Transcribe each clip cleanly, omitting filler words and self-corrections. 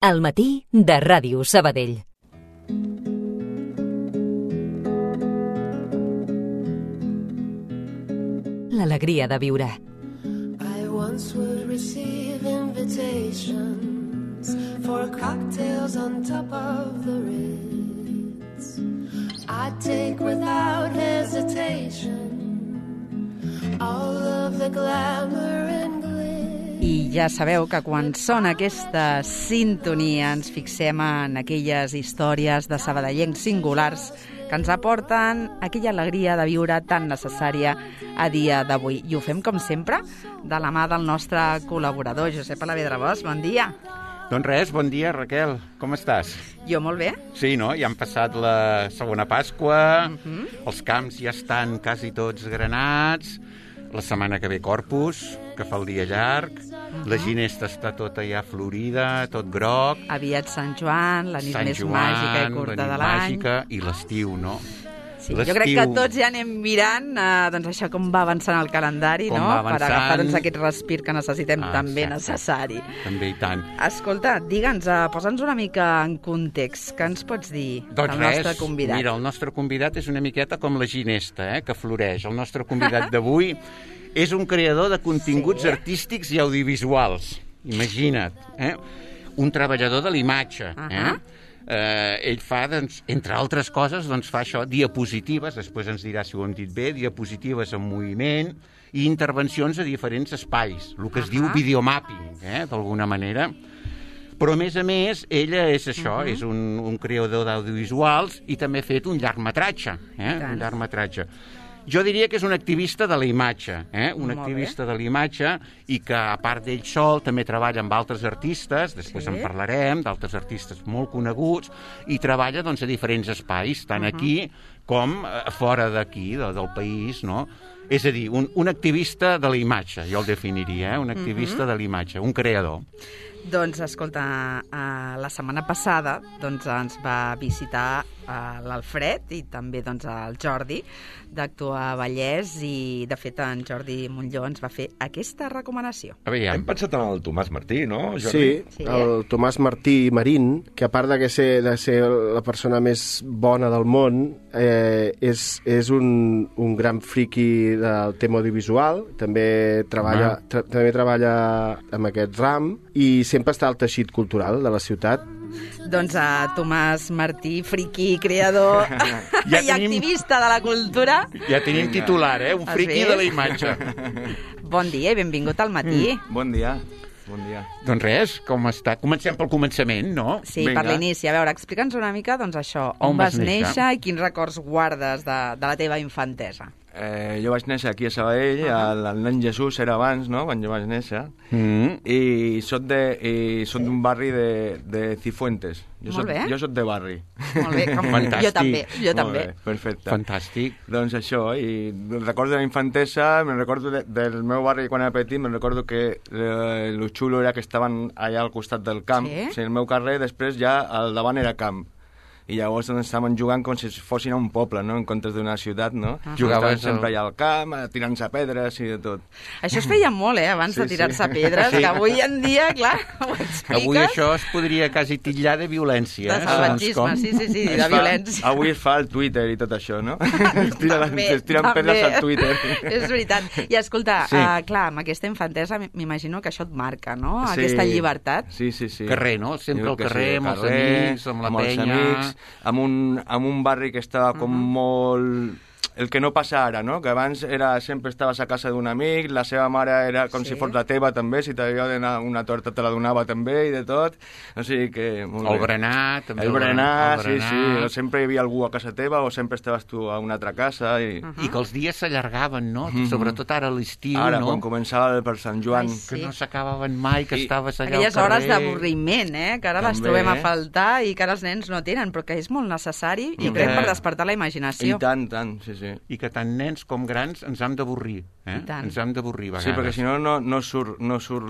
Al matí de Ràdio Sabadell. L'alegria de viure. I once would receive invitations for cocktails on top of the Ritz. I'd take without hesitation all of the glamour and glitter. I ja sabeu que quan sona aquesta sintonia ens fixem en aquelles històries de sabadellencs singulars que ens aporten aquella alegria de viure tan necessària a dia d'avui. I ho fem, com sempre, de la mà del nostre col·laborador, Josep Alavedra-Bosch. Bon dia. Doncs res, bon dia, Raquel. Com estàs? Jo molt bé. Sí, no? Ja han passat la segona Pasqua, els camps ja estan quasi tots granats, la setmana que ve Corpus, que fa el dia llarg, la ginesta està tota ja florida, tot groc. Aviat Sant Joan, la nit Sant més Joan, màgica i curta de l'any. Màgica, i l'estiu, no? Sí, jo crec que tots ja anem mirant doncs això com va avançant el calendari, Com no? va Per avançant. agafar doncs, aquest respir que necessitem també exacte. necessari. També i tant. Escolta, digue'ns, posa'ns una mica en context. Què ens pots dir Doncs del nostre convidat? Mira, el nostre convidat és una miqueta com la ginesta, que floreix. El nostre convidat d'avui és un creador de continguts artístics i audiovisuals. Imagina't, un treballador de l'imatge. Ell fa, doncs, entre altres coses, fa això, diapositives, després ens dirà si ho hem dit bé, diapositives en moviment i intervencions a diferents espais, el que es diu videomapping, d'alguna manera. Però, a més, ella és això, és un creador d'audiovisuals i també ha fet un llargmetratge, un llargmetratge. Jo diria que és un activista de la imatge, un activista de la imatge i que, a part d'ell sol, també treballa amb altres artistes, després en parlarem, d'altres artistes molt coneguts, i treballa doncs, a diferents espais, tant aquí com fora d'aquí, del país, no? És a dir, un activista de la imatge, jo el definiria, un activista de la imatge, un creador. Doncs, escolta, la setmana passada ens va visitar l'Alfred i també el Jordi d'Actua Vallès i, de fet, en Jordi Montlló ens va fer aquesta recomanació. Hem pensat en el Tomàs Martí, no, Jordi? Sí, el Tomàs Martí Marín, que a part de ser la persona més bona del món, és un gran friqui del tema audiovisual, també treballa amb aquest ram i sempre està al teixit cultural de la ciutat. Doncs a Tomàs Martí, friqui, creador i activista de la cultura. Ja tenim titular, un friqui de la imatge. Bon dia i benvingut al matí. Bon dia. Bon dia. Doncs res, com està? Comencem pel començament, no? Sí, per l'inici. A veure, explica'ns una mica, això, on vas néixer i quins records guardes de la teva infantesa. Jo vaig néixer aquí a Sabadell, el nen Jesús era abans, no?, quan jo vaig néixer, i soc d'un barri de Cifuentes. Jo soc de barri. Molt bé, jo també. Perfecte. Fantàstic. Doncs això, i recordo de la infantesa, me'n recordo del meu barri quan era petit, me'n recordo que lo xulo era que estaven allà al costat del camp, o sigui, el meu carrer, després ja al davant era camp. I llavors estàvem jugant com si fossin a un poble, no?, en comptes d'una ciutat, no? Jugaven sempre allà al camp, tirant-se pedres i de tot. Això es feia molt, abans de tirar-se pedres, que avui en dia, clar, ho expliques. Avui això es podria quasi titllar de violència. De salvatgisme, sí, de violència. Avui es fa al Twitter i tot això, no? Es tiren pedres al Twitter. És veritat. I escolta, clar, amb aquesta infantesa m'imagino que això et marca, no?, aquesta llibertat. Sí. Carrer, no? Sempre al carrer, amb els amics, amb la penya... amb un barri que estava com molt... El que no passa ara, no?, que abans sempre estaves a casa d'un amic, la seva mare era com si fos la teva també, si t'havia de donar una torta te la donava també i de tot, o sigui que... El berenar, també. El berenar, sí, sempre hi havia algú a casa teva o sempre estaves tu a una altra casa i... I que els dies s'allargaven, no?, sobretot ara a l'estiu, no? Ara, quan començava per Sant Joan. Que no s'acabaven mai, que estaves allà al aquelles carrer. Hores d'avorriment, que ara les trobem a faltar i que ara els nens no tenen, però que és molt necessari, jo crec, per despertar la imaginació. I tant, sí. I que tant nens com grans ens hem d'avorrir, ens hem d'avorrir a vegades. Sí, perquè si no surt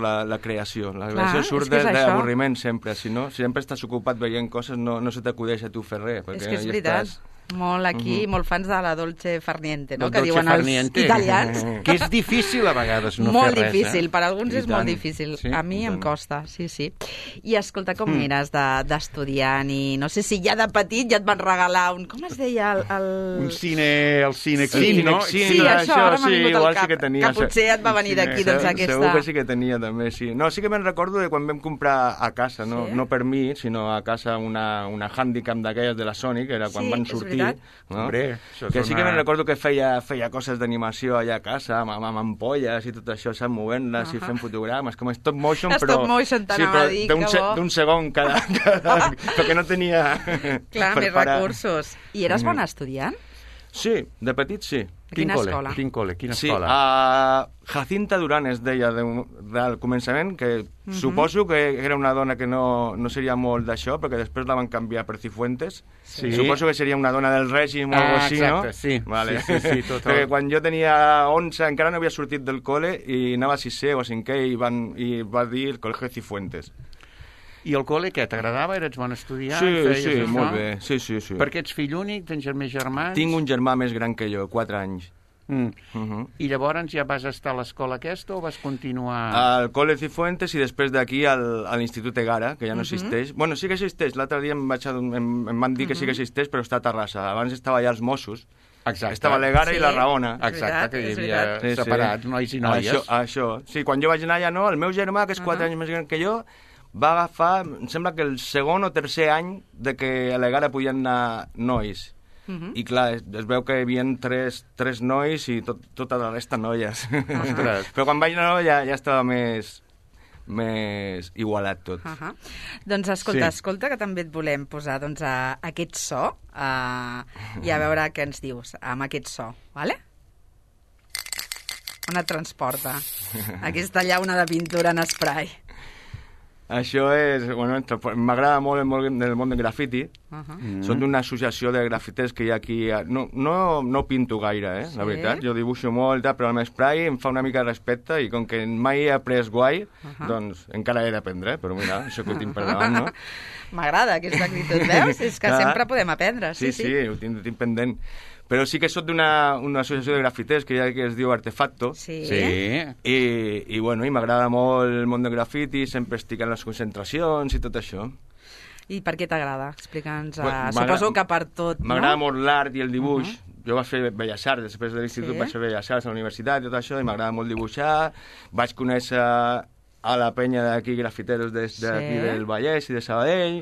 la creació. La creació surt de l'avorriment sempre. Si no, si sempre estàs ocupat veient coses, no se t'acudeix a tu fer res. És que és veritat. molt aquí, molt fans de la Dolce Farniente, no? Del Que dolce diuen els farniente. italians. Que és difícil a vegades no Molt fer res. difícil, per alguns I és molt tant. difícil. Sí, A mi i em tant. costa, sí. I escolta, com eres d'estudiant i no sé si ja de petit ja et van regalar un... Com es deia? Un cine, el Cinexin, no? Sí, això, ara m'ha vingut al igual cap, sí que tenia. que potser et va venir d'aquí, doncs aquesta... Segur que sí que tenia, també, sí. No, sí que me'n recordo de quan vam comprar a casa, no, Sí? no per mi, sinó a casa una handicap d'aquelles de la Sony, que era quan Sí, van és sortir. veritat. No? Hombre, això és que sí que una- me'n recordo que feia coses d'animació allà a casa, amb ampolles i tot això, saps, movent-les i fent fotogrames, com stop motion, Stop però... motion, t'anava a dir, que bo. d'un segon cada perquè no tenia... Clar, per més parar. recursos. I eres bon estudiant? Sí, de petit sí. A quina escola? Quin col·le? Quina Sí, escola? a Jacinta Durán es deia del començament, que suposo que era una dona que no seria molt d'això, perquè després la van canviar per Cifuentes. Sí. Suposo que seria una dona del règim o alguna cosa així, exacte, no? sí. Vale. Sí, tot Perquè quan jo tenia 11 encara no havia sortit del col·le i anava a 6è o 5è i va dir el Col·legi Cifuentes. I el col·le, què? T'agradava? Eres bon estudiant? Sí, Feies sí, això? molt bé. Sí. Perquè ets fill únic? Tens més germans? Tinc un germà més gran que jo, 4 anys. I llavors ja vas estar a l'escola aquesta o vas continuar... Al Col·le Cifuentes i després d'aquí a l'Institut Egara, que ja no existeix. Bueno, sí que existeix. L'altre dia em van dir que sí que existeix, però està a Terrassa. Abans estava allà els Mossos. Exacte. Estava l'Egara Sí. i la Raona. Exacte, que hi És havia veritat. separats nois i noies. Això. Sí, quan jo vaig anar allà, no, el meu germà, que és 4 anys més gran que jo, va agafar, em sembla que el segon o tercer any de que a l'Egara podien anar nois. I clar, es veu que hi havia tres nois i tota la resta noies. Ostres. Però quan vaig anar ja estava més igualat tot. Doncs escolta, que també et volem posar aquest so i a veure què ens dius amb aquest so, vale? On et transporta? Aquesta llauna de pintura en spray. Això és... Bueno, m'agrada molt el món del grafiti. Són d'una associació de grafiters que hi ha aquí... No pinto gaire, la veritat. Jo dibuixo molt, però amb spray em fa una mica de respecte i com que mai he après guai, doncs encara he d'aprendre, però mira, això que ho tinc per davant, no? M'agrada aquesta actitud, veus? És que sempre podem aprendre, sí. Sí, ho tinc pendent. Però sí que soc d'una associació de grafiters que hi ha que es diu Artefacto. Sí. I bueno, i m'agrada molt el món del grafiti, sempre estic en les concentracions i tot això. I per què t'agrada? Explica'ns. Bueno, Suposo que per tot, no? M'agrada molt l'art i el dibuix. Jo vaig fer Belles Arts, després de l'institut vaig fer Belles Arts a la universitat i tot això, i m'agrada molt dibuixar. Vaig conèixer a la penya d'aquí, grafiteros d'aquí del Vallès i de Sabadell,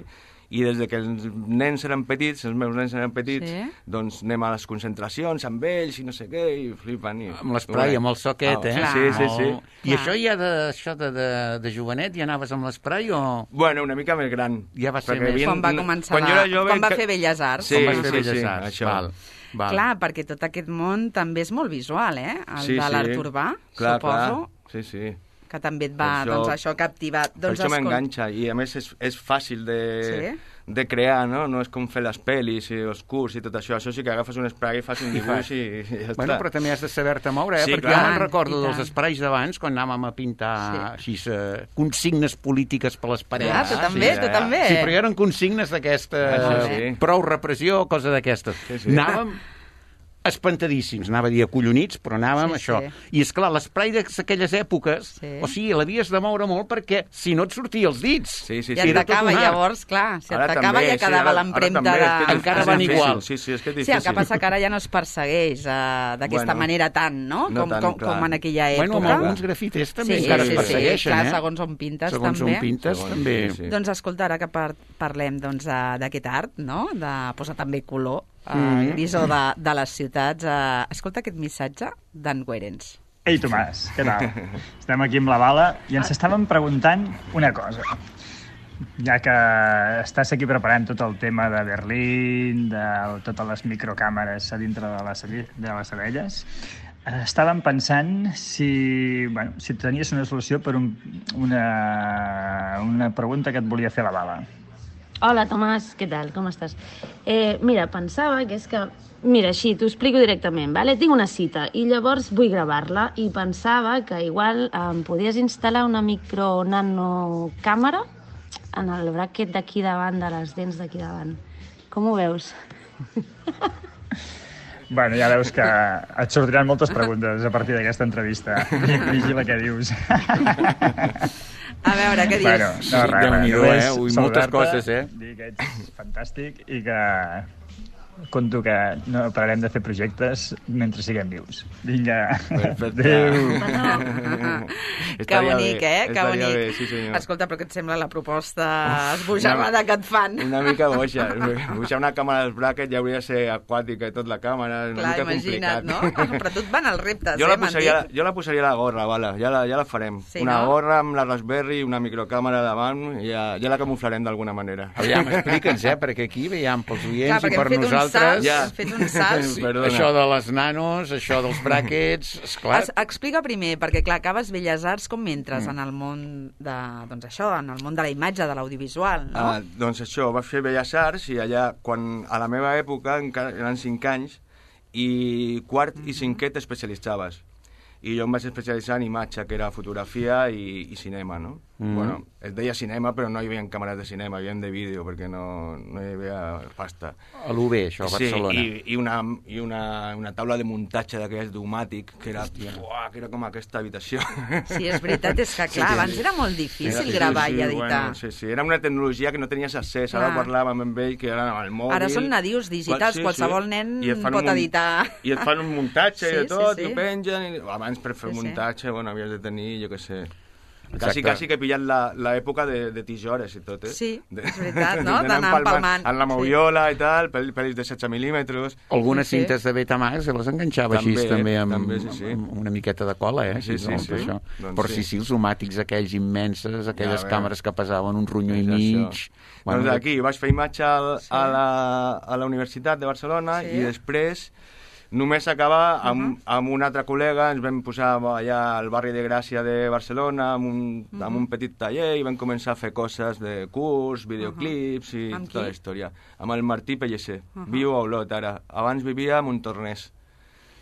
i des que els nens eren petits, els meus nens eren petits, doncs anem a les concentracions amb ells i no sé què, i flipen. Amb l'esprai, amb el soquet, Sí. I això ja de jovenet, ja anaves amb l'esprai o...? Bueno, una mica més gran. Ja va ser més... Quan va començar... Quan jo era jove... Quan va fer Belles Arts. Sí, Quan vas fer Belles Arts, això. Val. Clar, perquè tot aquest món també és molt visual, el de l'art urbà, suposo. Sí. Que també et va, això captivat. Per això m'enganxa, i a més és fàcil de crear, no? No és com fer les pel·lis i els curts i tot això. Això sí que agafes un spray, fas un dibuix i ja està. Bueno, però també has de saber-te moure, Sí, perquè clar. jo me'n recordo dels sprays d'abans, quan anàvem a pintar així, consignes polítiques per les parets. Ah, tu també. Sí, però eren consignes d'aquesta... Prou repressió, cosa d'aquestes. Anàvem espantadíssims, anava a dir acollonits, però anàvem això. I és clar, l'esprai d'aquelles èpoques, o sigui, l'havies de moure molt perquè si no et sortia els dits. I et tacava, llavors, clar, si et tacava ja quedava l'empremta de... Encara van igual. Sí, és que és difícil. Sí, el que passa que ara ja no es persegueix d'aquesta manera tant, no? Com en aquella època. Bueno, amb alguns grafiters també encara es persegueixen, clar, segons on pintes, també. Segons on pintes, també. Doncs escolta, ara que parlem d'aquest art, no?, de posar també color, grisó de les ciutats. Escolta aquest missatge d'en Guerens. Ei, Tomàs, què tal? Estem aquí amb la Bala i ens estàvem preguntant una cosa. Ja que estàs aquí preparant tot el tema de Berlín, de totes les microcàmeres a dintre de les abelles, estàvem pensant si tenies una solució per una pregunta que et volia fer la Bala. Hola, Tomàs, què tal? Com estàs? Mira, pensava que és que... Mira, així, t'ho explico directament, vale? Tinc una cita i llavors vull gravar-la i pensava que igual em podies instal·lar una micro-nanocàmera en el bràquet d'aquí davant, de les dents d'aquí davant. Com ho veus? Bueno, ja veus que et sortiran moltes preguntes a partir d'aquesta entrevista. Vigila què dius. A veure, què dius? Bueno, no, res, Déu-n'hi-do, Ui, moltes coses, dir que ets fantàstic i que conto que no pararem de fer projectes mentre siguem vius. Vinga. Perfecte. Adéu. Que bonic, Que bonic. Bé, sí, senyor. Escolta, però què et sembla la proposta esbojarrada que et fan? Una mica boixa. Boixar una càmera als brackets ja hauria de ser aquàtica i tot la càmera. És una Clar, mica imagina't, complicat. no? Però tu et van els reptes, Jo la m'han posaria a la gorra, vala. Ja la farem. Sí, una no? gorra amb la Raspberry, una microcàmera davant, i ja la camuflarem d'alguna manera. Aviam, explica'ns, perquè aquí veiem pels oients Clar, i perquè per hem fet nosaltres... hem fet un salt. Perdona. Això de les nanos, això dels brackets, esclar... Explica primer, perquè clar, acabes Belles Arts, com entres en el món de, doncs això, en el món de la imatge, de l'audiovisual, no? Doncs això, vaig fer Belles Arts i allà, quan a la meva època, encara eren 5 anys, i quart i cinquè t'especialitzaves. I jo em vaig especialitzar en imatge, que era fotografia i cinema, no? Bueno, es deia cinema, però no hi havia càmeres de cinema, hi havia de vídeo, perquè no hi havia pasta. A l'UB, això, a Barcelona. Sí, i una taula de muntatge d'aquelles d'Umàtic, que era com aquesta habitació. Sí, és veritat, és que clar, abans era molt difícil gravar i editar. Bueno, sí, era una tecnologia que no tenies accés, ara parlàvem amb ell, que era amb el mòbil... Ara són nadius digitals, qualsevol nen pot editar. I et fan un muntatge i de tot, i ho pengen... Abans per fer muntatge, bueno, havies de tenir, jo què sé... Quasi que he pillat l'època de tisores i tot, Sí, és veritat, no? D'anar empalmant. En la moviola i tal, pel·lis de 16 mil·límetres. Algunes cintes de Betamax se les enganxava així també amb una miqueta de cola, Sí. Però sí, els umàtics aquells immenses, aquelles càmeres que pesaven un ronyó i mig... Doncs aquí vaig fer imatge a la Universitat de Barcelona i després... Només acaba amb un altre col·lega, ens vam posar allà al barri de Gràcia de Barcelona amb un petit taller i vam començar a fer coses de curs, videoclips i tota la història. Amb el Martí Pellicer. Viu a Olot ara. Abans vivia a Montornès.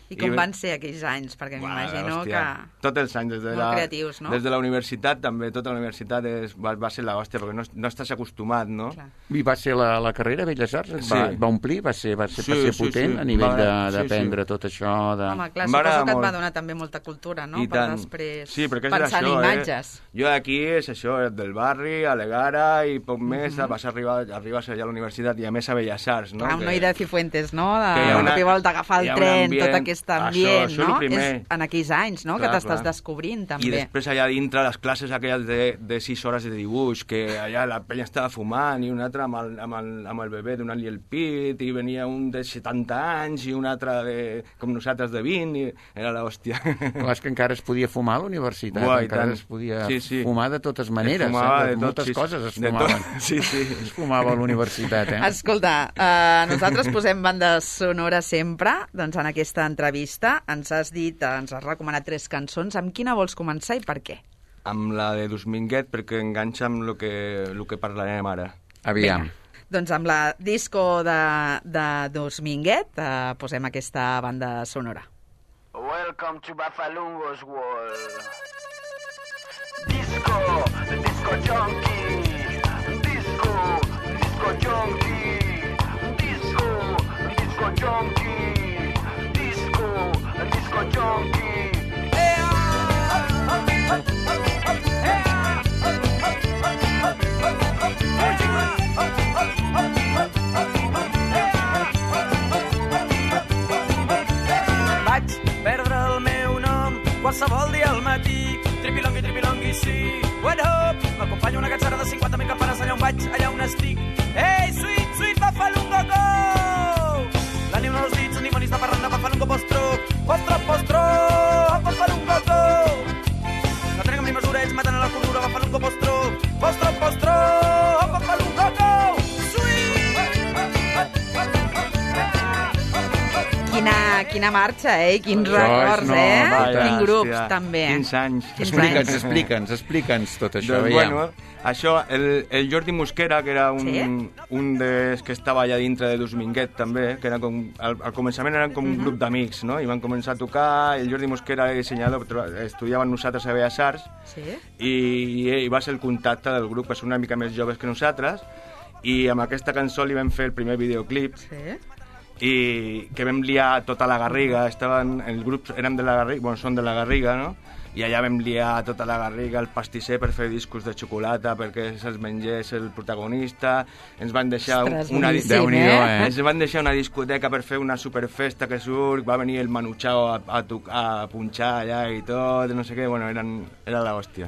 I com van ser aquells anys? Perquè m'imagino que... Tots els anys, molt creatius, no? Des de la universitat també, tota la universitat va ser l'hòstia, perquè no estàs acostumat, no? I va ser la carrera Belles Arts? Va omplir? Va ser potent a nivell d'aprendre tot això? Home, clar, suposo que et va donar també molta cultura, no? Per després pensar en imatges. Jo aquí és això, del barri, a l'Egara, i poc més vas arribar allà a la universitat i a més a Belles Arts, no? Clar, un noi de Cifuentes, no? De cop i volta agafar el tren, tot aquest ambient, no? És en aquells anys, no? Que t'estàs descobrint, també. I després allà dintre les classes aquelles de 6 hores de dibuix, que allà la penya estava fumant i un altre amb el bebè donant-li el pit, i venia un de 70 anys i un altre com nosaltres de 20, i era l'hòstia. Clar, és que encara es podia fumar a la universitat, encara es podia fumar de totes maneres, de moltes coses es fumaven. Es fumava a la universitat, Escolta, nosaltres posem bandes sonores sempre, doncs en aquesta entrevista ens has recomanat 3 cançons. Amb quina vols començar i per què? Amb la de Dominguet, perquè enganxa amb el que parlarem ara. Aviam. Doncs amb la disco de Dominguet posem aquesta banda sonora. Welcome to Bafalungo's world. Disco junkie. Disco junkie. Disco junkie. Disco junkie. Vaig perdre el meu nom qualsevol dia al matí. Tripilongui, sí. What up? M'acompanya una cansada de 50.000 campanes allà on vaig, allà on estic. Ei, sweet, Bafalungo, go! La neu no els dits, ni monis de parranda, Bafalungo, postro, Bafalungo, go! No treguem ni mesura, ells maten a la cordura, Bafalungo, postro, Bafalungo, go! Quina marxa, quins records, Quins grups, també. Quins anys. Explica'ns tot això. Doncs, bueno, això, el Jordi Mosquera, que era un dels que estava allà dintre de Dominguet, també, que era com, al començament eren com un grup d'amics, no? I van començar a tocar, el Jordi Mosquera era dissenyador, estudiava amb nosaltres a Belles Arts, i va ser el contacte del grup, que són una mica més joves que nosaltres, i amb aquesta cançó li vam fer el primer videoclip, i que vam liar tota la Garriga, els grups érem de la Garriga, són de la Garriga, no? I allà vam liar tota la Garriga, el pastisser per fer discos de xocolata perquè se'ls mengés el protagonista, ens van deixar ens van deixar una discoteca per fer una superfesta que surt, va venir el Manu Chao a punxar allà i tot, no sé què, bueno, era l'hòstia.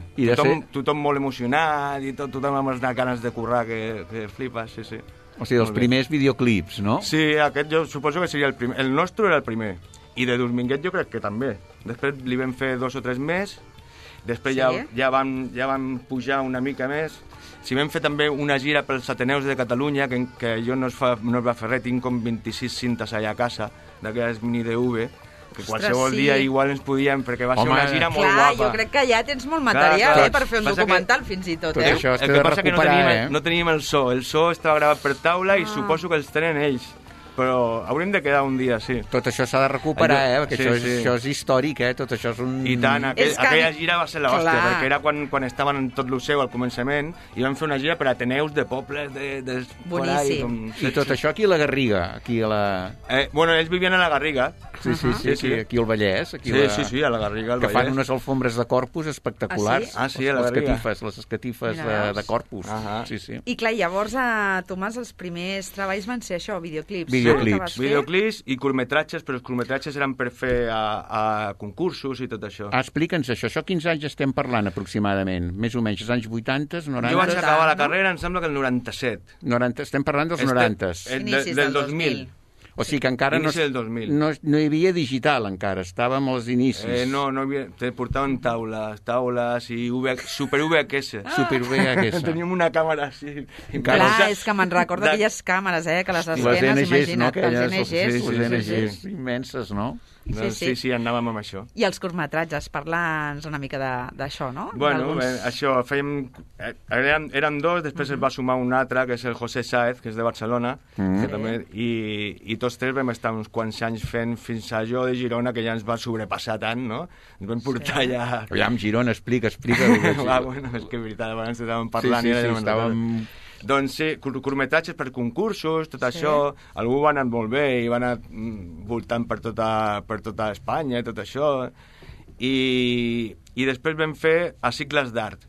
Tothom molt emocionat i tothom amb les ganes de currar que flipes, sí. O sigui, els primers videoclips, no? Sí, aquest jo suposo que seria el primer. El nostre era el primer. I de Dominguet jo crec que també. Després li vam fer 2 o 3 més. Després ja vam pujar una mica més. Si vam fer també una gira pels Ateneus de Catalunya, que jo no es va fer res, tinc com 26 cintes allà a casa, d'aquelles mini DV, que qualsevol dia igual ens podíem, perquè va ser una gira molt guapa. Jo crec que ja tens molt material per fer un documental fins i tot. Tot això has de recuperar, no teníem el so estava gravat per taula i suposo que els tenen ells, però hauríem de quedar un dia, sí. Tot això s'ha de recuperar, perquè això és històric, tot això és un... I tant, aquella gira va ser l'hòstia, perquè era quan estaven en tot el seu al començament, i vam fer una gira per Ateneus de pobles boníssim. I tot això aquí a la Garriga, aquí a la... Bueno, ells vivien a la Garriga. Sí, aquí al Vallès. Sí, a la Garriga, al Vallès. Que fan unes alfombres de Corpus espectaculars. Ah, sí, a la Garriga. Les escatifes de Corpus. Sí. I clar, llavors, Tomàs, els primers treballs van ser això, videoclips. Videoclips i curtmetratges, però els curtmetratges eren per fer a concursos i tot això. Explica'ns això quins anys estem parlant aproximadament? Més o menys, els anys 80, 90? Jo vaig acabar la carrera, em sembla que el 97. Estem parlant dels 90. Del 2000. O sigui que encara no hi havia digital, encara, estàvem als inicis. No hi havia, portaven taules i super VHS. Teníem una càmera així. Clar, és que me'n recordo aquelles càmeres, que les escenes, imagina't, les NGs immenses, no? Sí, anàvem amb això. I els curtmetratges, parla'ns una mica d'això, no? Bueno, això, érem 2, després es va sumar un altre, que és el José Sáez, que és de Barcelona, que també, i tots 3 vam estar uns quants anys fent fins a jo de Girona, que ja ens va sobrepassar tant, no? Ens vam portar ja... Aviam, Girona, explica. Bueno, és que és veritat, abans estàvem parlant i estàvem... Doncs sí, curtmetratges per concursos, tot això, algú va anar molt bé i va anar voltant per tota Espanya i tot això, i després vam fer a cicles d'art.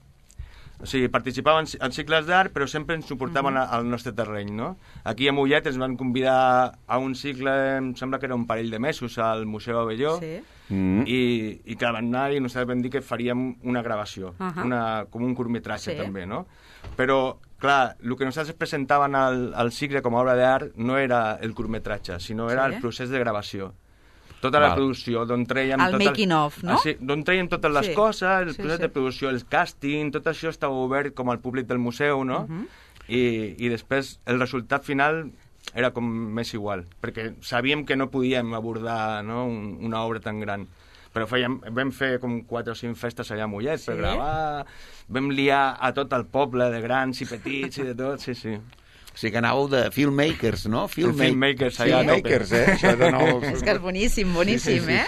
O sigui, participàvem en cicles d'art, però sempre ens suportaven al nostre terreny, no? Aquí a Mollet ens van convidar a un cicle, em sembla que era un parell de mesos, al Museu Abelló, i clar, van anar i nosaltres vam dir que faríem una gravació, com un curtmetratge també, no? Però, clar, el que nosaltres presentaven al cicle com a obra d'art no era el curtmetratge, sinó era el procés de gravació. Tota la producció, d'on treiem... El making of, no? D'on treiem totes les coses, el procés de producció, el càsting, tot això estava obert com al públic del museu, no? I després el resultat final era com més igual, perquè sabíem que no podíem abordar una obra tan gran. Però vam fer com 4 o 5 festes allà a Mollet per gravar, vam liar a tot el poble, de grans i petits i de tot, sí. O sigui que anàveu de filmmakers, no? Filmmakers, filmmakers, Això de nous... És que és boníssim,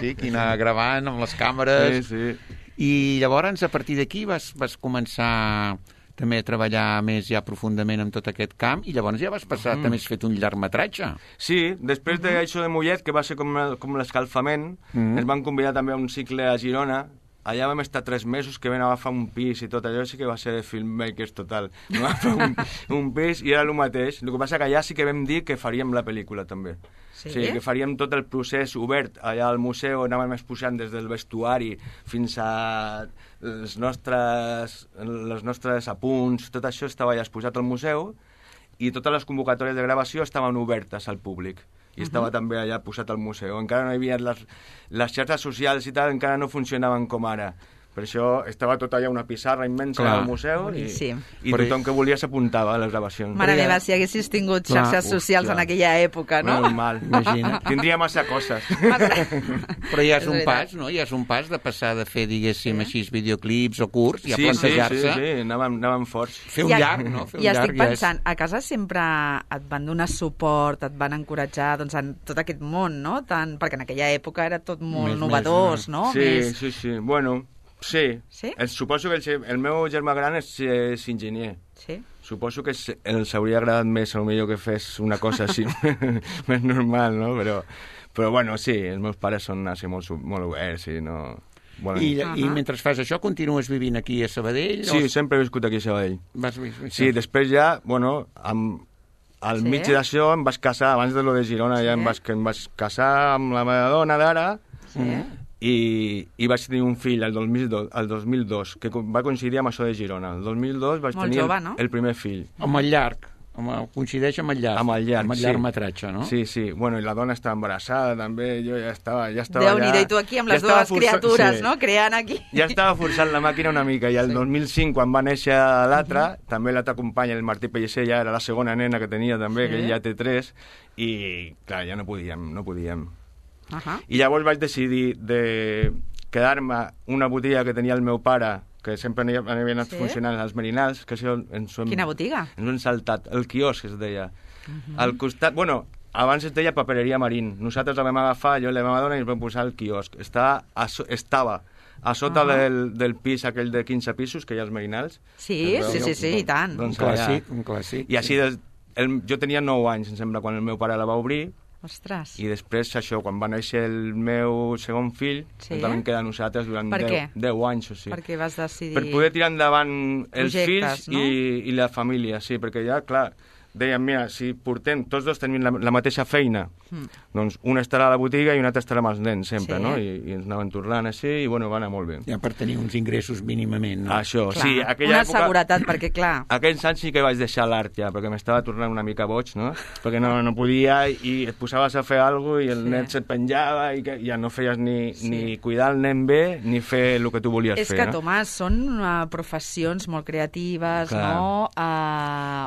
Sí, que anar gravant amb les càmeres. Sí. I llavors, a partir d'aquí, vas començar també a treballar més ja profundament en tot aquest camp, i llavors ja vas passar, també has fet un llargmetratge. Sí, després d'això de Mollet, que va ser com l'escalfament, ens van convidar també a un cicle a Girona. Allà vam estar 3 mesos, que vam agafar un pis i tot allò, sí que va ser de filmmakers total. Vam agafar un pis i era el mateix. El que passa que allà sí que vam dir que faríem la pel·lícula també. Sí, que faríem tot el procés obert allà al museu, anàvem exposant des del vestuari fins a les nostres apunts, tot això estava allà exposat al museu, i totes les convocatòries de gravació estaven obertes al públic. I estava també allà posat al museu. Encara no hi havia les xarxes socials i tal, encara no funcionaven com ara. Per això estava tot allà una pissarra immensa al museu i tothom que volia s'apuntava a les gravacions. Mare meva, si haguessis tingut xarxes socials en aquella època, no? Normal, imagina. Tindria massa coses. Però ja és un pas, no? Ja és un pas de passar de fer, diguéssim, així videoclips o curts i a plantejar-se. Sí, anàvem forts. Fer un llarg, no? I estic pensant, a casa sempre et van donar suport, et van encoratjar en tot aquest món, no? Perquè en aquella època era tot molt novedós, no? Sí. Bueno, Sí. Sí? Suposo que el meu germà gran és enginyer. Sí. Suposo que els hauria agradat més, potser que fes una cosa així més normal, no? Però bueno, sí, els meus pares són així molt oberts i no... I mentre fas això continues vivint aquí a Sabadell? Sí, sempre he viscut aquí a Sabadell. Sí, després ja, bueno, al mig d'això em vaig casar, abans de lo de Girona ja em vaig casar amb la meva dona d'ara i vaig tenir un fill el 2002, que va coincidir amb això de Girona. El 2002 vaig tenir el primer fill. Amb el llarg. Coincideix amb el llarg. Amb el llargmetratge, no? Sí, sí. Bueno, i la dona estava embarassada, també. Jo ja estava Déu-n'hi-do, i tu aquí amb les dues criatures, no? Creant aquí. Ja estava forçant la màquina una mica. I el 2005, quan va néixer l'altre, també l'altre company, el Martí Pellicer, ja era la segona nena que tenia també, que ell ja té 3, i clar, ja no podíem. I llavors vaig decidir de quedar-me una botiga que tenia el meu pare, que sempre havia anat funcionant als Merinals, que això Quina botiga? Ens ho hem saltat. El quiosc es deia. Al costat, bueno, abans es deia Papereria Marín. Nosaltres la vam agafar, jo i la meva dona, i ens vam posar el quiosc. Estava a sota del pis aquell de 15 pisos que hi ha als Merinals. Sí, i tant. Doncs un clàssic. I així, jo tenia 9 anys, em sembla, quan el meu pare la va obrir. Ostres. I després, això, quan va néixer el meu segon fill, ens vam quedar nosaltres durant 10 anys o sigui. Per què vas decidir? Per poder tirar endavant els projectes, fills i la família, sí, perquè ja, clar, dèiem, mira, si portem, tots dos tenim la mateixa feina, doncs una estarà a la botiga i una altra estarà amb els nens sempre, no? I ens anaven tornant així i, bueno, va anar molt bé. Ja per tenir uns ingressos mínimament, no? Això, clar, sí. Una seguretat, perquè, clar... Aquells anys sí que vaig deixar l'art ja, perquè m'estava tornant una mica boig, no? Perquè no podia i et posaves a fer alguna cosa i el nen se't penjava i ja no feies ni cuidar el nen bé ni fer el que tu volies fer. És que, Tomàs, són professions molt creatives, no?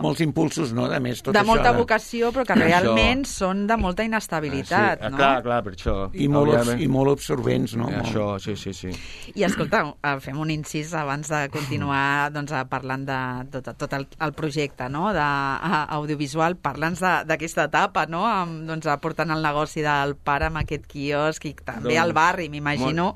Molts impulsos, no? De més, tot això. De molta vocació, però que realment són de molta inestabilitat, no? Clar, per això. I molt absorbents, no? Això, sí. I escolta, fem un incís abans de continuar parlant de tot el projecte, no?, d'audiovisual. Parla'ns d'aquesta etapa, no?, portant el negoci del pare amb aquest quiosc i també al barri, m'imagino.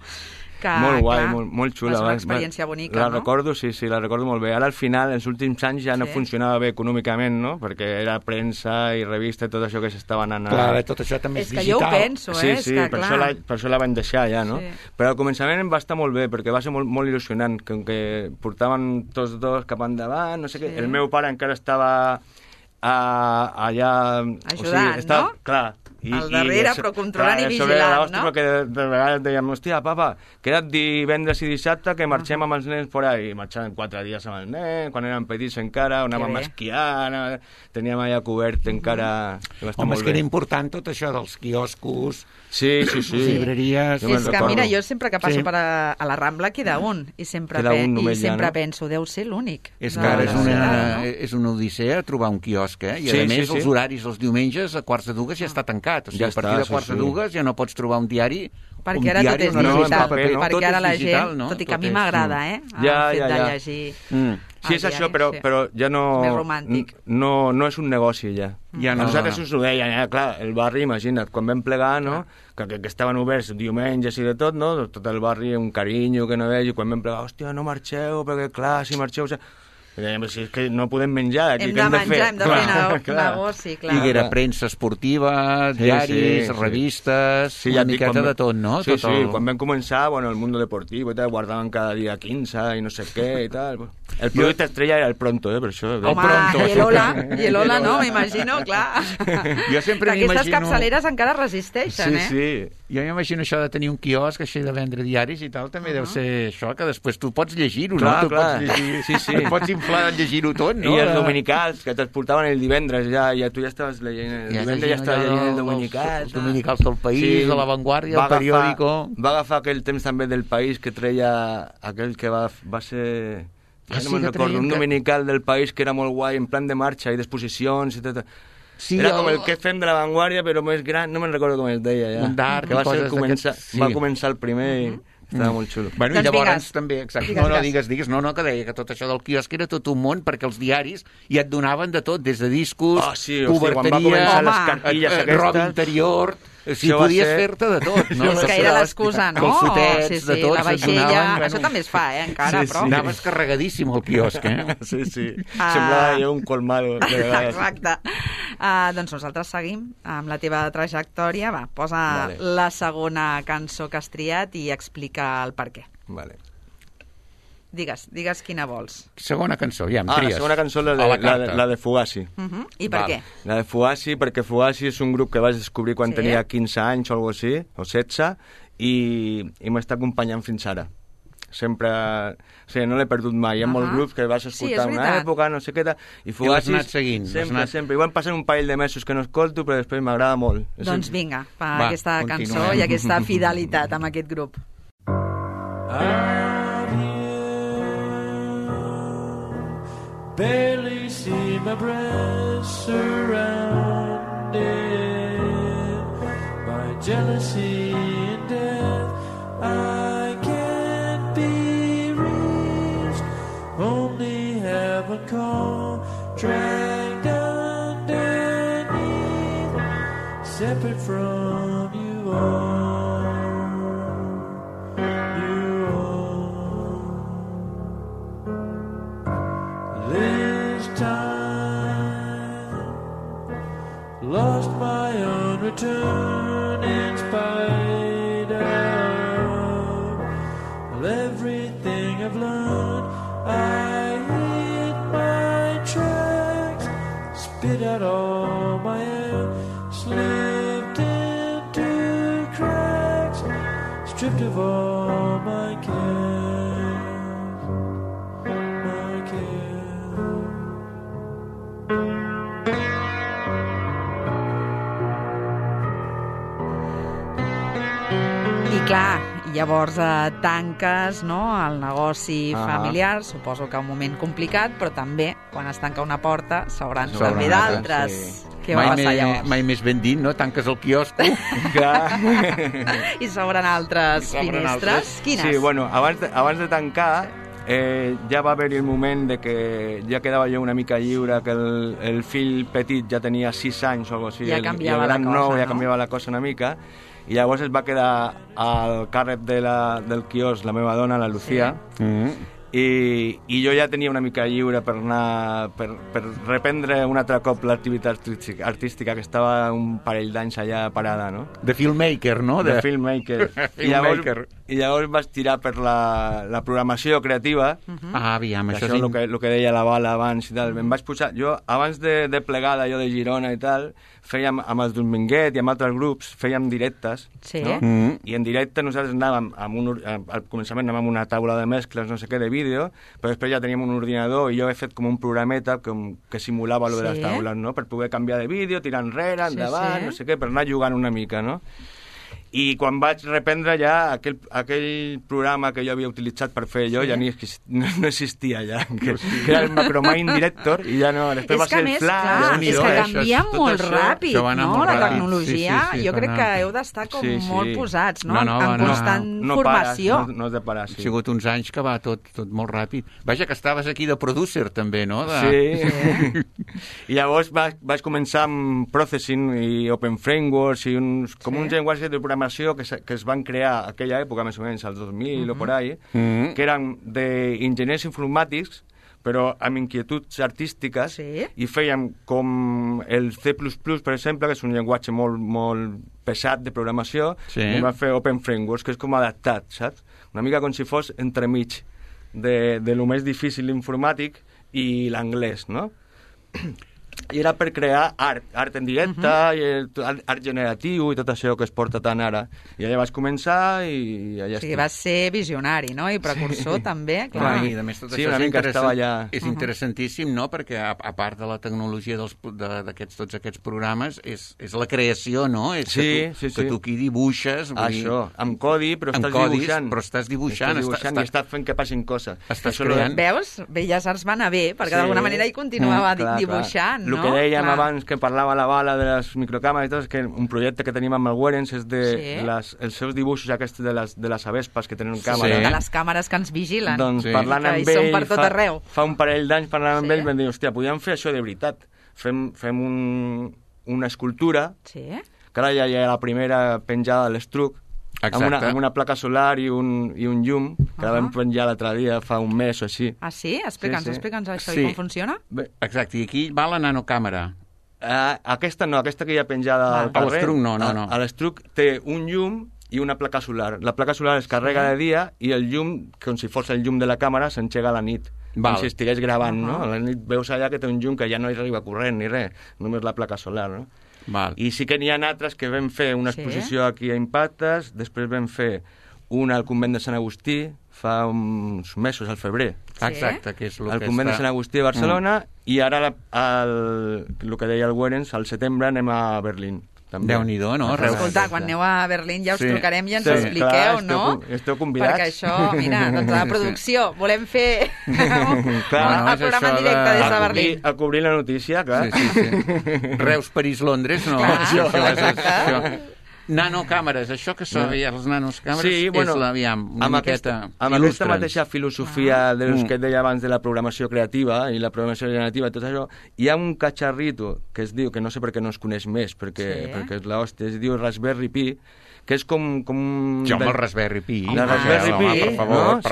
Molt guai, molt xula. És una experiència bonica, no? La recordo, sí, la recordo molt bé. Ara, al final, els últims anys ja no funcionava bé econòmicament, no? Perquè era premsa i revista i tot això que s'estava anant... Clar, tot això també és digital. És que jo ho penso, Sí, per això la vam deixar ja, no? Però al començament va estar molt bé, perquè va ser molt il·lusionant, que portaven tots dos cap endavant, no sé què. El meu pare encara estava allà... Ajudant, no? Clar. Al darrere, però controlant i vigilant, no? Perquè de vegades dèiem, hòstia, papa, queda't divendres i dissabte que marxem amb els nens por ahí. I marxàvem 4 dies amb els nens, quan eren petits encara, anàvem a esquiar, teníem allà cobert encara... Home, és que era important tot això dels quioscos, llibreries... És que, mira, jo sempre que passo a la Rambla queda un, i sempre penso, deu ser l'únic. És que ara és una odissea trobar un quiosc, i a més els horaris els diumenges a 1:45 ja està tancat. O sigui, a partir de 1:45 ja no pots trobar un diari. Perquè ara tot és digital, perquè ara la gent, tot i que a mi m'agrada, el fet de llegir. Sí, és això, però ja no... Més romàntic. No és un negoci, ja. Nosaltres us ho deien, clar, el barri, imagina't, quan vam plegar, no?, que estaven oberts diumenges i de tot, no?, tot el barri, un carinyo que no veig, i quan vam plegar, hòstia, no marxeu, perquè clar, si marxeu... Si és que no podem menjar aquí, hem de fer negoci, clar. I era premsa esportiva, diaris, revistes, una miqueta de tot, no? Sí, quan vam començar, el Mundo Deportivo i tal, guardaven cada dia 15 i no sé què i tal. El producte estrella era el Pronto, per això. Home, i el Hola, no? M'imagino, clar. Jo sempre m'imagino... Aquestes capçaleres encara resisteixen, Sí. Jo m'imagino això de tenir un quiosc així de vendre diaris i tal, també deu ser això, que després tu pots llegir-ho, no? Clar. Et pots inflar de llegir-ho tot, no? I els dominicals, que te'ls portaven el divendres, ja tu ja estaves llegint... El divendres ja estaves llegint el dominical. Els dominicals del País, de La Vanguardia, el periòdico... Va agafar aquell temps també del País que treia aquell que va ser... no me'n recordo, un dominical del País que era molt guai, en plan de marxa i d'exposicions i tot... Era com el que fem de La Vanguardia, però més gran, no me'n recordo com es deia, ja. Un d'art, que va començar el primer i estava molt xulo. Bueno, i llavors també, exacte, digues, no, que deia que tot això del quiosc era tot un món, perquè els diaris ja et donaven de tot, des de discos, coberteria, roba interior... Sí, podies fer-te de tot, no? És que era l'excusa, no? Calçotets, de tot. La vaixella... Això també es fa, encara, però... Anaves carregadíssim al quiosc, Sí. Semblava jo un colmado. Exacte. Doncs nosaltres seguim amb la teva trajectòria. Va, posa la segona cançó que has triat i explica el per què. Vale. Digues quina vols. Segona cançó, ja em tries. La segona cançó, la de Fugazi. I per què? La de Fugazi, perquè Fugazi és un grup que vaig descobrir quan tenia 15 anys o alguna cosa així, o 16, i m'està acompanyant fins ara. Sempre... O sigui, no l'he perdut mai. Hi ha molts grups que vas escoltar una època, no sé què... I Fugazi... I l'has anat seguint. Sempre. Igual passen un parell de mesos que no escolto, però després m'agrada molt. Doncs vinga, aquesta cançó i aquesta fidelitat amb aquest grup. Barely see my breath surrounded by jealousy and death. I can't be reached, only heaven call, dragged underneath, separate from you all. Lost my own return in spite of everything I've learned. I hit my tracks, spit out all my air, slipped into cracks, stripped of all my cares, my cares. Clar, llavors tanques el negoci familiar, suposo que un moment complicat, però també quan es tanca una porta s'obren també d'altres. Sí. Què va passar llavors? Mai més ben dit, no? Tanques el quiosco i s'obren altres finestres. Quines? Sí, bueno, abans de tancar ja va haver-hi el moment de que ja quedava jo una mica lliure, que el fill petit ja tenia 6 anys o alguna cosa així, ja canviava la cosa, ja canviava la cosa una mica, i llavors es va quedar al càrrec del quiosc la meva dona, la Lucía, i jo ja tenia una mica lliure per anar per reprendre un altre cop l'activitat artística, que estava un parell d'anys allà parada, no? De filmmaker, no? De filmmaker. I llavors vaig tirar per la programació creativa. Aviam, això és el que deia la Bala abans i tal. Em vaig posar... Jo, abans de plegar d'allò de Girona i tal, fèiem amb els Dominguet i amb altres grups, fèiem directes, no? I en directe nosaltres anàvem al començament anàvem amb una taula de mescles, no sé què, de vídeo, però després ja teníem un ordinador i jo he fet com un programeta que simulava lo de les taules, no? Per poder canviar de vídeo, tirar enrere, endavant, no sé què, per anar jugant una mica, no? I quan vaig reprendre ja aquell programa que jo havia utilitzat per fer jo ja no existia ja, que era el Macromind Director, i ja no, després va ser el Flash. És que canvia molt ràpid, no? La tecnologia, jo crec que heu d'estar com molt posats, no? En constant formació. No has de parar, sí. Ha sigut uns anys que va tot molt ràpid. Vaja, que estaves aquí de producer també, no? Sí. I llavors vaig començar amb Processing i Open Frameworks i uns llenguatges de programació que es van crear a aquella època, més o menys, als 2000 o por ahí, que eren d'enginyers informàtics, però amb inquietuds artístiques, i fèiem com el C++, per exemple, que és un llenguatge molt pesat de programació, i va fer Open Frameworks, que és com adaptat, saps? Una mica com si fos entremig de lo més difícil informàtic i l'anglès, no? I era per crear art en directe, art generatiu i tot això que es porta tant ara. I allà vaig començar i allà estic. O sigui, vas ser visionari, no? I precursor també, clar. I a més tot això és interessantíssim, no? Perquè a part de la tecnologia tots aquests programes és la creació, no? Que tu aquí dibuixes. Això, amb codi, però estàs dibuixant. I estàs fent que passin coses. Estàs creant. Veus? Belles Arts va anar bé, perquè d'alguna manera hi continuava dibuixant. El que dèiem abans, que parlava la Bala de les microcàmeres i tot, és que un projecte que tenim amb el Werens és els seus dibuixos aquests de les avespas que tenen càmera. De les càmeres que ens vigilen. Doncs parlant amb ell, fa un parell d'anys parlant amb ell, vam dir, hòstia, podíem fer això de veritat. Fem una escultura que ara ja hi ha la primera penjada de l'Estruc, amb una placa solar i un llum, que la vam penjar l'altre dia, fa un mes o així. Ah, sí? Explica'ns això i com funciona. Exacte, i aquí va la nanocàmera. Aquesta no, aquesta que hi ha penjada al carrer. A l'Estruc no. A l'Estruc té un llum i una placa solar. La placa solar es carrega de dia i el llum, com si fos el llum de la càmera, s'engega a la nit. Com si estigués gravant, no? A la nit veus allà que té un llum que ja no hi arriba corrent ni res, només la placa solar, no? I sí que n'hi ha altres que vam fer una exposició aquí a Impactes, després vam fer una al convent de Sant Agustí fa uns mesos, al febrer. Exacte, que és el que al convent de Sant Agustí de Barcelona, i ara el que deia el Werens, al setembre anem a Berlín. Déu-n'hi-do, no? Escolta, quan aneu a Berlín ja us trucarem i ens ho expliqueu, no? Esteu convidats. Perquè això, mira, doncs a la producció volem fer el programa en directe des de Berlín. A cobrir la notícia, clar. Reus, París, Londres, no? Això. Nanocàmeres, això que són les nanocàmeres és una miqueta... Amb aquesta mateixa filosofia dels que et deia abans de la programació creativa i la programació generativa, tot això, hi ha un catxarrito que es diu, que no sé per què no es coneix més, perquè és l'hòstia, es diu Raspberry Pi, que és com... Sí, home, el Raspberry Pi. La Raspberry Pi, per favor,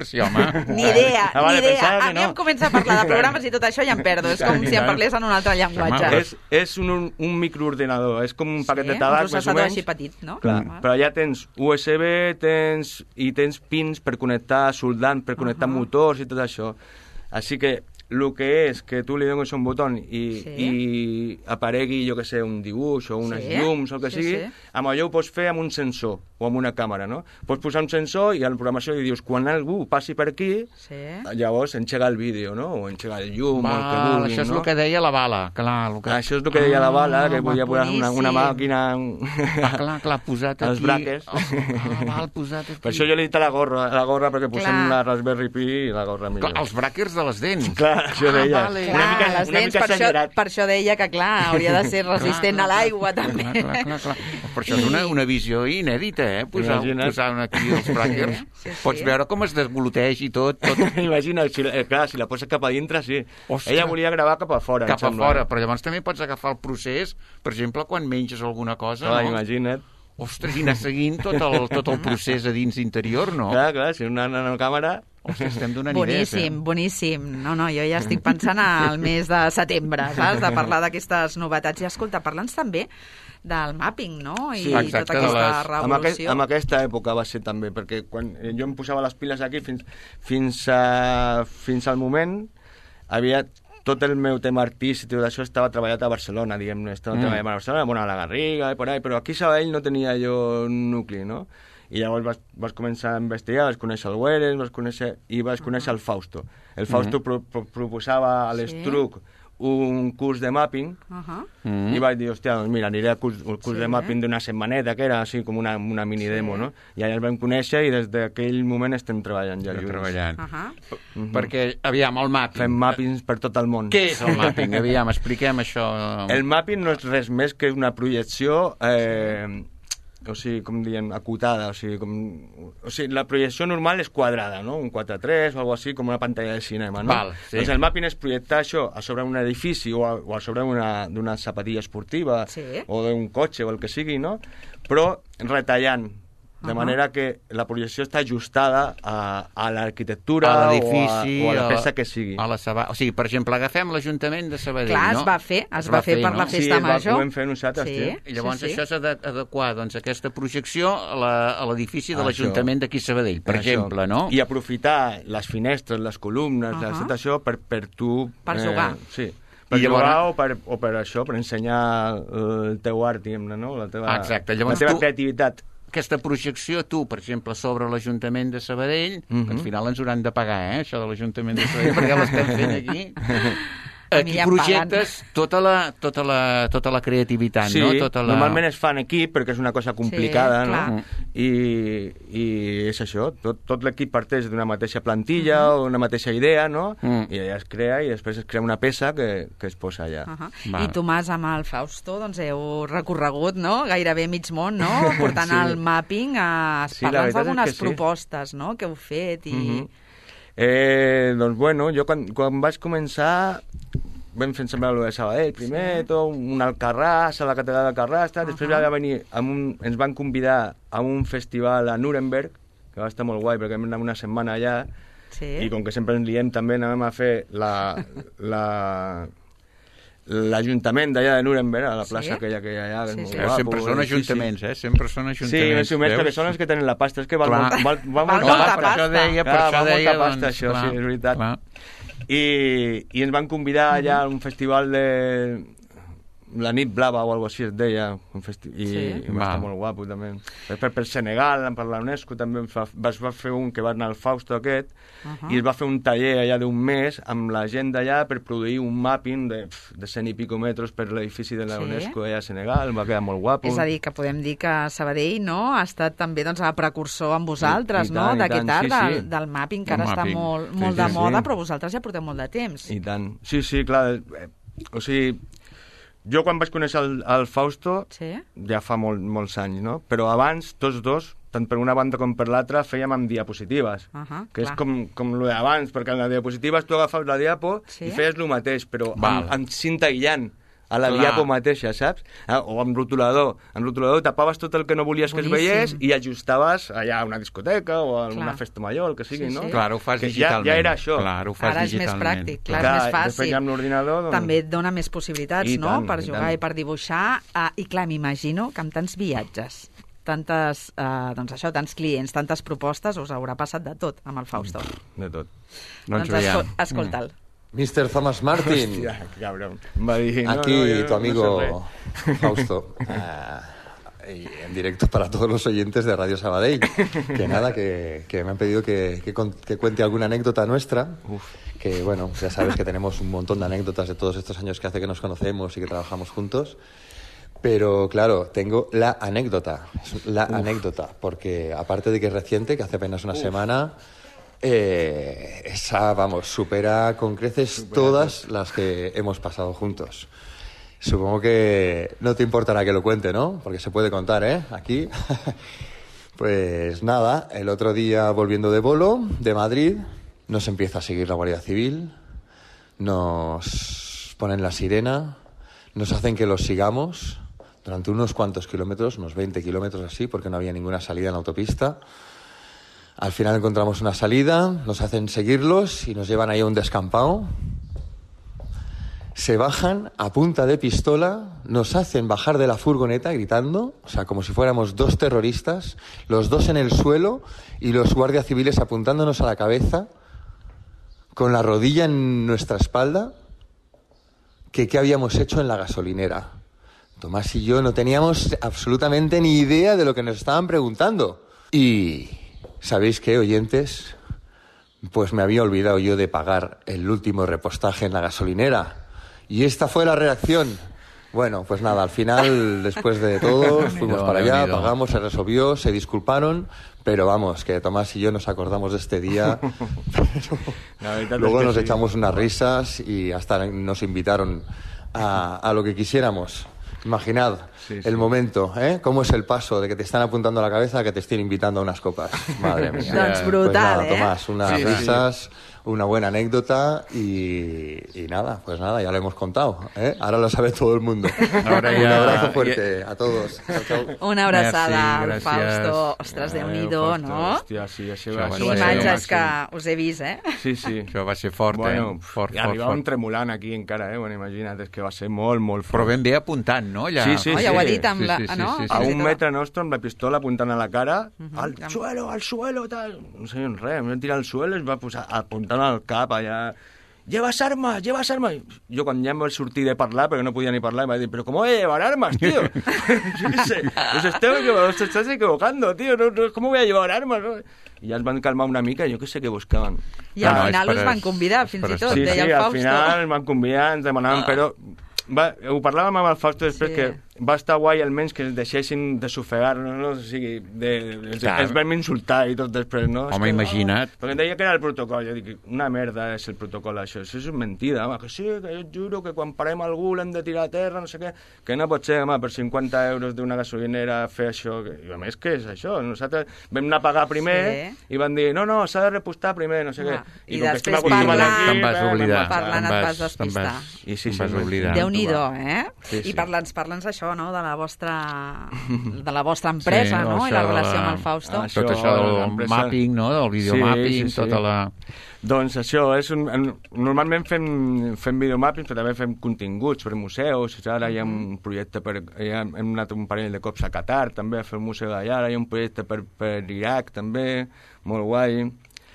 sí, home. Ni idea. A mi em comença a parlar de programes i tot això i em perdo. És com si em parlés en un altre llenguatge. És un microordenador, és com un paquet de tabac, més o menys. Així petit, no? Clar, però allà tens USB, tens pins per connectar soldant, per connectar motors i tot això. Així que el que és que tu li dones un botó i aparegui, jo que sé, un dibuix o unes llums o el que sigui, amb allò ho pots fer amb un sensor o amb una càmera, no? Pots posar un sensor i a la programació li dius, quan algú passi per aquí, llavors engega el vídeo, no? O engega el llum, o el que vulguin, això és el que deia la Bala, clar. Això és el que deia la Bala, que podia posar una màquina... Clar, posat aquí... Els braques. Posat aquí. Per això jo li he dit a la gorra perquè posem la Raspberry Pi i la gorra millor. Els brackers de les dents. Clar, això deia. Una mica exagerat. Per això deia que, clar, hauria de ser resistent a l'aigua, també. Per això és una visió inèdita, posar aquí els brackers. Pots veure com es desgluteix i tot. Imagina, clar, si la poses cap a dintre, sí. Ella volia gravar cap a fora. Cap a fora, però llavors també pots agafar el procés, per exemple, quan menges alguna cosa. Clar, imagina't. Ostres, i anar seguint tot el procés a dins interior, no? Clar, si una nanocàmera... Ostres, estem donant boníssim, boníssim. No, jo ja estic pensant al mes de setembre, saps? De parlar d'aquestes novetats. I escolta, parla'ns també del mapping, no? I tota aquesta revolució. En aquesta època va ser també, perquè quan jo em posava les piles aquí fins al moment havia... Tot el meu tema artístic i tot això estava treballat a Barcelona, diguem-ne. Estava treballant a Barcelona, bueno, a la Garriga i por ahí, però aquí a Sabadell no tenia jo un nucli, no? I llavors vas començar a investigar, vas conèixer el Werens, vas conèixer el Fausto. El Fausto proposava a l'Estruc un curs de mapping i vaig dir, hòstia, doncs mira, aniré al curs de mapping d'una setmaneta, que era així com una mini demo, no? I allà el vam conèixer i des d'aquell moment estem treballant ja junts. Perquè, aviam, el mapping... Fem mappings per tot el món. Què és el mapping? Aviam, expliquem això. El mapping no és res més que una projecció... o sigui, com diem, acotada, o sigui, la projecció normal és quadrada, no? Un 4:3 o alguna cosa així, com una pantalla de cinema, no? Doncs el mapping és projectar això a sobre un edifici o a sobre d'una zapatilla esportiva o d'un cotxe o el que sigui, no? Però retallant, de manera que la projecció està ajustada a l'arquitectura o a la peça que sigui. O sigui, per exemple, agafem l'Ajuntament de Sabadell, no? Clar, es va fer per la festa major. Sí, ho vam fer nosaltres, I llavors això s'ha d'adequar, doncs, aquesta projecció a l'edifici de l'Ajuntament d'aquí Sabadell, per exemple, no? I aprofitar les finestres, les columnes, tot això per tu... Per jugar. Sí. Per jugar o per això, per ensenyar el teu art, diguem-ne, no? La teva creativitat. Aquesta projecció, tu, per exemple, sobre l'Ajuntament de Sabadell, que al final ens hauran de pagar, això de l'Ajuntament de Sabadell, perquè l'estem fent aquí. Aquí projectes tota la creativitat, no? Normalment es fa en equip, perquè és una cosa complicada, no? I és això, tot l'equip parteix d'una mateixa plantilla o una mateixa idea, no? I allà es crea i després es crea una peça que es posa allà. I Tomàs, amb el Fausto, doncs heu recorregut, no? Gairebé mig món, no? Portant el mapping a parlar d'algunes propostes, no? Que heu fet i... Doncs bueno, jo quan vaig començar vam fer semblar lo de Sabadell primer, tot, un Alcarràs, a la catedral d'Alcarràs, després va venir, ens van convidar a un festival a Nuremberg, que va estar molt guai, perquè vam anar una setmana allà, i com que sempre ens liem també anàvem a fer l'Ajuntament d'allà de Nuremberg, a la plaça aquella que hi ha allà. Sempre són ajuntaments, sempre són ajuntaments. Sí, més o menys, perquè són els que tenen la pasta. És que val molta pasta. Per això deia, això, sí, és veritat. I ens van convidar allà a un festival de la nit blava o alguna cosa així es deia, i va estar molt guapo també. Per Senegal, per la UNESCO també es va fer un que va anar al Fausto aquest, i es va fer un taller allà d'un mes amb la gent d'allà per produir un mapping de 100 i pico metres per l'edifici de la UNESCO allà a Senegal, va quedar molt guapo. És a dir, que podem dir que Sabadell ha estat també precursor amb vosaltres, d'aquest art del mapping, que ara està molt de moda, però vosaltres ja porteu molt de temps. I tant. Sí, clar. O sigui, jo quan vaig conèixer el Fausto, ja fa molts anys, no? Però abans, tots dos, tant per una banda com per l'altra, fèiem amb diapositives, que és com lo d'abans, perquè en les diapositives tu agafaves la diapo i feies el mateix, però amb cinta aïllant a la diapo mateixa, saps? O amb rotulador. Amb rotulador tapaves tot el que no volies que es veiés i ajustaves allà a una discoteca o a una festa major, el que sigui, no? Clar, ho fas digitalment. Ja era això. Ara és més pràctic, clar, és més fàcil. Després ja amb l'ordinador... També et dona més possibilitats, no?, per jugar i per dibuixar. I clar, m'imagino que amb tants viatges, tants clients, tantes propostes, us haurà passat de tot amb el Fausto. De tot. Doncs escolta'l. Mr. Thomas Martin. Hostia, cabrón. Aquí tu amigo Fausto. En directo para todos los oyentes de Radio Sabadell. Que nada, que me han pedido que cuente alguna anécdota nuestra. Que bueno, ya sabes que tenemos un montón de anécdotas de todos estos años que hace que nos conocemos y que trabajamos juntos. Pero claro, tengo la anécdota. Anécdota, porque aparte de que es reciente, que hace apenas una semana... esa, supera con creces todas las que hemos pasado juntos. Supongo que no te importará que lo cuente, ¿no? Porque se puede contar, aquí. Pues nada, el otro día volviendo de bolo, de Madrid, nos empieza a seguir la Guardia Civil, nos ponen la sirena, nos hacen que los sigamos durante unos cuantos kilómetros, unos 20 kilómetros así, porque no había ninguna salida en la autopista. Al final encontramos una salida, nos hacen seguirlos y nos llevan ahí a un descampado. Se bajan a punta de pistola, nos hacen bajar de la furgoneta gritando, o sea, como si fuéramos dos terroristas, los dos en el suelo y los guardias civiles apuntándonos a la cabeza, con la rodilla en nuestra espalda, que qué habíamos hecho en la gasolinera. Tomás y yo no teníamos absolutamente ni idea de lo que nos estaban preguntando. Y... ¿sabéis qué, oyentes? Pues me había olvidado yo de pagar el último repostaje en la gasolinera. Y esta fue la reacción. Bueno, pues nada, al final, después de todo, fuimos para allá, pagamos, se resolvió, se disculparon, pero vamos, que Tomás y yo nos acordamos de este día. Luego nos echamos unas risas y hasta nos invitaron a lo que quisiéramos. Imaginad el momento, ¿Cómo es el paso de que te están apuntando a la cabeza a que te estén invitando a unas copas? Madre mía. Doncs brutal, pues nada, Tomás, unas risas, una buena anécdota y nada, pues nada, ya lo hemos contado, Ahora lo sabe todo el mundo. Ahora un abrazo fuerte a todos. Chao. Una abraçada al Fausto. Ostres, Déu-n'hi-do, no? Hòstia, sí, això va ser... imatges que us he vist, Sí. Això va ser fort, fort. I arribàvem tremolant aquí encara, Bueno, imagina't, és que va ser molt fort. Però ben bé apuntant, no? Ja... Sí. Ja ho ha dit amb la... A un metre nostre, amb la pistola apuntant a la cara, al suelo, tal... No sé res, em vam tirar al suelo i es va posar apuntant al cap allà... Llevas armas. Jo quan ja em vaig sortir de parlar, perquè no podia ni parlar, em va dir, però com voy a llevar armas, tío? Yo qué sé, os estás equivocando, tío, ¿cómo voy a llevar armas? No? I ja es van calmar una mica, jo què sé què buscaven. I al final us van convidar, fins i tot, deia el Fausto. Sí, al final ens van convidar, ens demanaven, però... ho parlàvem amb el Fausto després, que va estar guai almenys que es deixessin de sofegar-nos, no? O sigui, ens vam insultar i tot després, no? Home, imagina't. Perquè em deia que era el protocol, jo dic, una merda és el protocol, això és mentida, home, que sí, que jo et juro que quan parem algú l'hem de tirar a terra, no sé què, que no pot ser, home, per 50 euros d'una gasolinera fer això, i a més, què és això? Nosaltres vam anar a pagar primer i van dir, no, s'ha de repostar primer, no sé què. I després parlant et vas despistar. I sí, Déu-n'hi-do, I parla'ns això, no?, de la vostra empresa, no?, i la relació amb el Fausto. Tot això del mapping, no?, del videomapping, tota la... Doncs això, normalment fem videomapping, però també fem continguts per museus. Ara hi ha un projecte hem anat un parell de cops a Qatar, també, a fer un museu d'allà. Ara hi ha un projecte per Iraq, també, molt guai.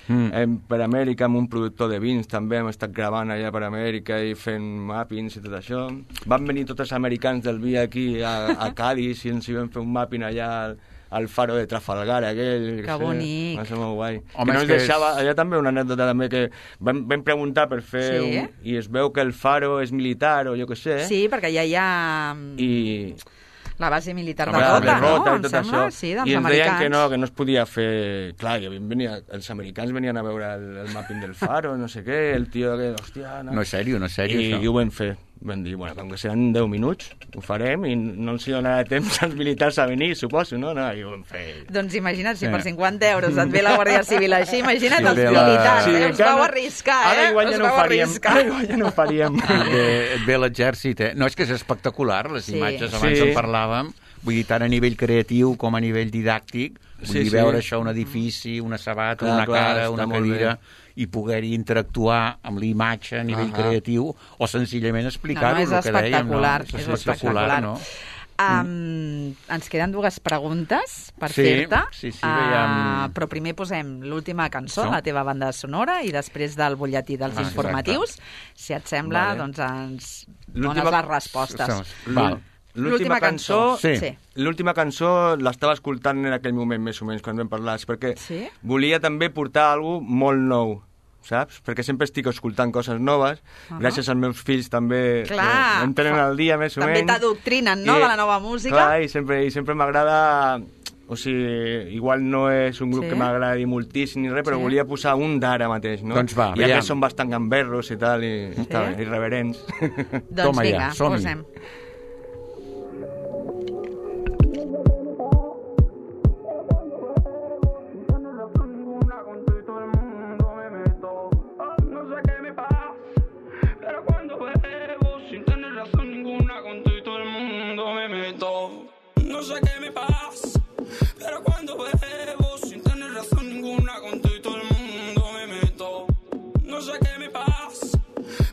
Per Amèrica, amb un productor de vins, també hem estat gravant allà per Amèrica i fent mappings i tot això. Van venir tots els americans del vi aquí a Cádiz i ens hi vam fer un mapping allà al faro de Trafalgar, aquell. Que bonic. Va ser molt guai. Home, que no ens deixava, allà també una anècdota també que vam preguntar per fer i es veu que el faro és militar o jo què sé. Sí, perquè ja hi ha... la base militar de Rota, no? Em sembla, sí, dels americans. I ens deien que no es podia fer... Clar, els americans venien a veure el mapping del faro, no sé què, el tio que... Hòstia, no és sèrio, això. I ho vam fer. Vam dir, bueno, com que seran 10 minuts, ho farem i no ens hi donarà temps als militars a venir, suposo, no? I ho vam fer. Doncs imagina't, si per 50 euros et ve la Guàrdia Civil així, imagina't els militars, us vau arriscar, Ara igual ja no ho faríem. Et ve l'exèrcit, No, és que és espectacular, les imatges, abans en parlàvem, vull dir, tant a nivell creatiu com a nivell didàctic, vull dir, veure això, un edifici, una sabata, una cara, una cadira, i poder-hi interactuar amb l'imatge a nivell creatiu, o senzillament explicar-ho, el que dèiem. És espectacular, no? Ens queden dues preguntes per fer-te, però primer posem l'última cançó, la teva banda sonora, i després del butlletí dels informatius. Si et sembla, doncs ens dones les respostes. L'última cançó... L'última cançó l'estava escoltant en aquell moment, més o menys, quan vam parlar, perquè volia també portar alguna cosa molt nou, saps? Perquè sempre estic escoltant coses noves, gràcies als meus fills també em tenen al dia, més o menys. També t'adoctrinen, no?, de la nova música. Clar, i sempre m'agrada... O sigui, igual no és un grup que m'agradi moltíssim ni res, però volia posar un d'ara mateix, no? Doncs va, ja que són bastant gamberros i tal, i irreverents. Doncs vinga, posem. No sé qué me pasa, pero cuando bebo sin tener razón ninguna con todo el mundo me meto. No sé qué me pasa,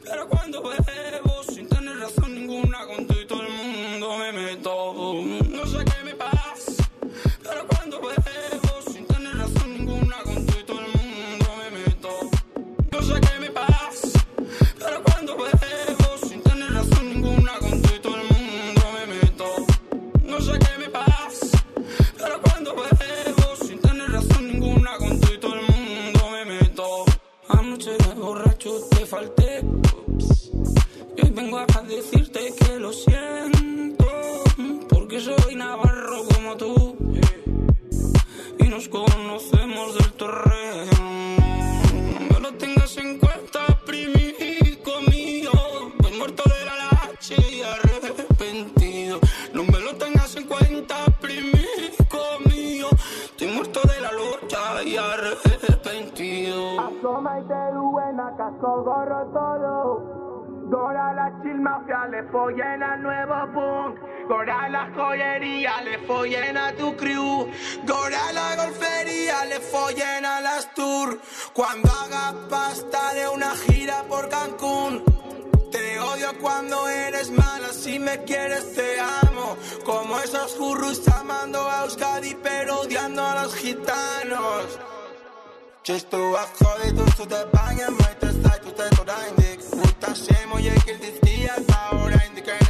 pero cuando bebo sin tener razón ninguna con todo el mundo me meto. No sé qué me pasa, pero cuando bebo sin tener razón ninguna con todo el mundo me meto. No sé qué me pasa, pero cuando bebo sin tener razón ninguna con todo el mundo me meto. No sé qué me pasa, pero cuando bebo sin tener razón ninguna con todo el mundo me meto. Anoche de borracho te falté, y hoy vengo a decirte que lo siento, porque soy navarro como tú, y nos conocemos del torreo. No lo tengas en cuenta, primico mío, voy muerto de la lache y arrepentido. No me lo tengas en cuenta, primico mío, estoy muerto de la lucha y arrepentido. Asoma y te duena, casco, gorro todo. Gora la chill mafia, le follen al nuevo punk. Gora la joyería, le follen a tu crew. Gora la golfería, le follen a las tour. Cuando haga pasta de una gira por Cancún. Te odio cuando eres mala, si me quieres te amo. Como esos furros amando a Euskadi pero odiando a los gitanos. Just to a jode, tu te bañas, mai te stai, tu te tornaindik. Utasem, oye, que el dia ahora indica en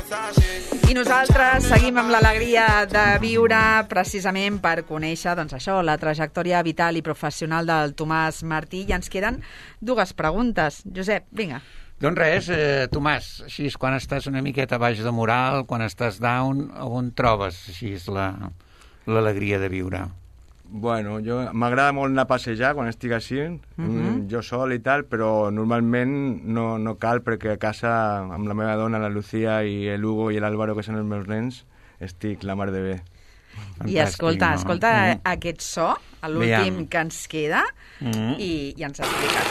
I nosaltres seguim amb l'alegria de viure precisament per conèixer, doncs això, la trajectòria vital i professional del Tomàs Martí, i ens queden dues preguntes. Josep, vinga. Doncs res, Tomàs, així és quan estàs una miqueta baix de moral, quan estàs down, on trobes així és l'alegria de viure? Bueno, m'agrada molt anar a passejar quan estic així, jo sol i tal, però normalment no cal perquè a casa amb la meva dona, la Lucía i l'Hugo i l'Álvaro, que són els meus nens, estic la mar de bé. I escolta aquest so, l'últim que ens queda, i ens expliques.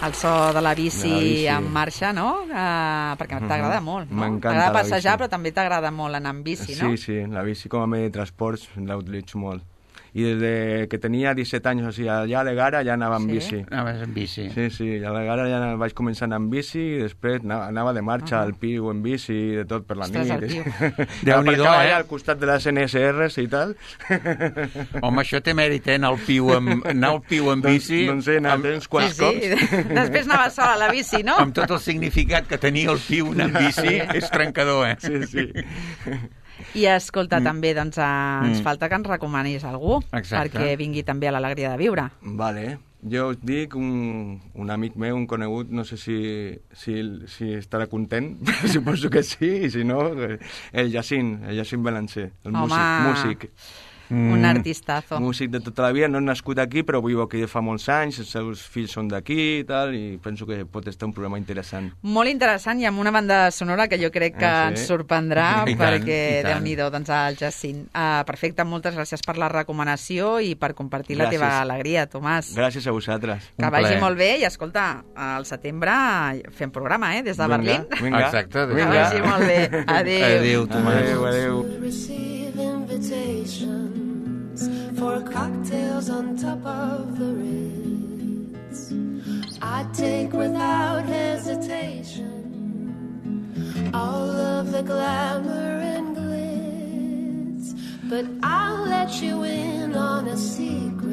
El so de la bici en marxa, no? Perquè t'agrada molt, no? M'encanta t'agrada passejar, però també t'agrada molt anar amb bici, no? Sí, la bici com a medi de transports la utilitzo molt. I des que tenia 17 anys, o sigui, allà a l'Egara ja anava amb bici. Anaves amb bici? Sí, a l'Egara ja vaig començar a anar amb bici i després anava de marxa al Piu en bici i de tot per la nit. Déu-n'hi-do, allà al costat de les NSRs i tal. Home, això té mèrit, anar al Piu en bici. Doncs sí, anar uns quants cops. Després anava sola a la bici, no? Amb tot el significat que tenia el Piu anar amb bici, és trencador, Sí. I escolta, també, doncs, ens falta que ens recomanis algú perquè vingui també a l'alegria de viure. Vale. Jo us dic, un amic meu, un conegut, no sé si estarà content, suposo que sí, i si no, el Jacint Balancer, el músic. Un artistazo. Músic de tota la vida, no nascut aquí, però viu aquí fa molts anys, els seus fills són d'aquí i tal, i penso que pot estar un programa interessant. Molt interessant, i amb una banda sonora que jo crec que ens sorprendrà, perquè Déu-n'hi-do, doncs, el Jacint. Perfecte, moltes gràcies per la recomanació i per compartir la teva alegria, Tomàs. Gràcies a vosaltres. Que vagi molt bé, i escolta, al setembre fem programa, des de Berlín. Vinga. Exacte. Que vagi molt bé. Adéu. Adéu, Tomàs. Adéu. For cocktails on top of the Ritz, I take without hesitation all of the glamour and glitz, but I'll let you in on a secret.